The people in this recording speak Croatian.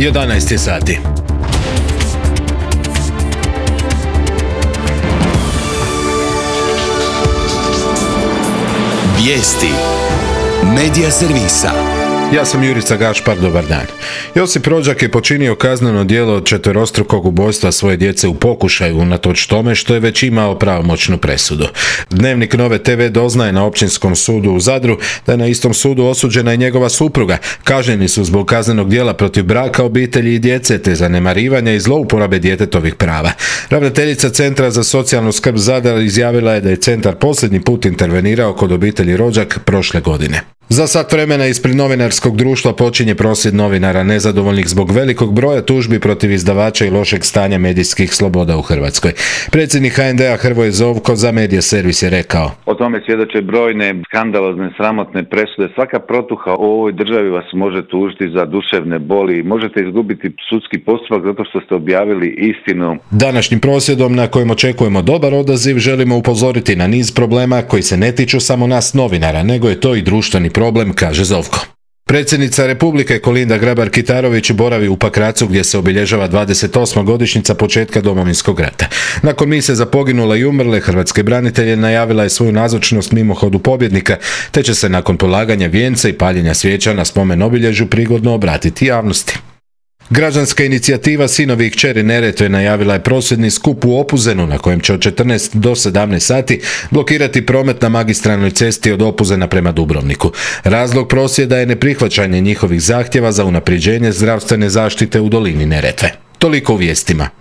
11 je sati. Vijesti Medija servisa. Ja sam Jurica Gašpar, dobar dan. Josip Rođak je počinio kazneno djelo od četverostrukog ubojstva svoje djece u pokušaju, unatoč tome što je već imao pravomoćnu presudu. Dnevnik Nove TV doznaje na Općinskom sudu u Zadru da je na istom sudu osuđena i njegova supruga. Kažnjeni su zbog kaznenog djela protiv braka, obitelji i djece, te zanemarivanja i zlouporabe djetetovih prava. Ravnateljica Centra za socijalnu skrb Zadar izjavila je da je centar posljednji put intervenirao kod obitelji Rođak prošle godine. Za sat vremena ispred novinarskog društva počinje prosvjed novinara nezadovoljnih zbog velikog broja tužbi protiv izdavača i lošeg stanja medijskih sloboda u Hrvatskoj. Predsjednik HND-a Hrvoje Zovko za Medija servis je rekao: O tome svjedoče brojne skandalozne, sramotne presude. Svaka protuha u ovoj državi vas može tužiti za duševne boli. Možete izgubiti sudski postupak zato što ste objavili istinu. Današnjim prosvjedom, na kojem očekujemo dobar odaziv, želimo upozoriti na niz problema koji se ne tiču samo nas novinara, nego je to i društveni problem, kaže Zovko. Predsjednica Republike Kolinda Grabar-Kitarović boravi u Pakracu gdje se obilježava 28. godišnjica početka Domovinskog rata. Nakon mise za poginule i umrle hrvatske branitelje najavila je svoju nazočnost mimohodu pobjednika, te će se nakon polaganja vijenca i paljenja svijeća na spomen obilježju prigodno obratiti javnosti. Građanska inicijativa Sinovi i kćeri Neretve najavila je prosvjedni skup u Opuzenu na kojem će od 14 do 17 sati blokirati promet na magistralnoj cesti od Opuzena prema Dubrovniku. Razlog prosvjeda je neprihvaćanje njihovih zahtjeva za unapređenje zdravstvene zaštite u dolini Neretve. Toliko u vijestima.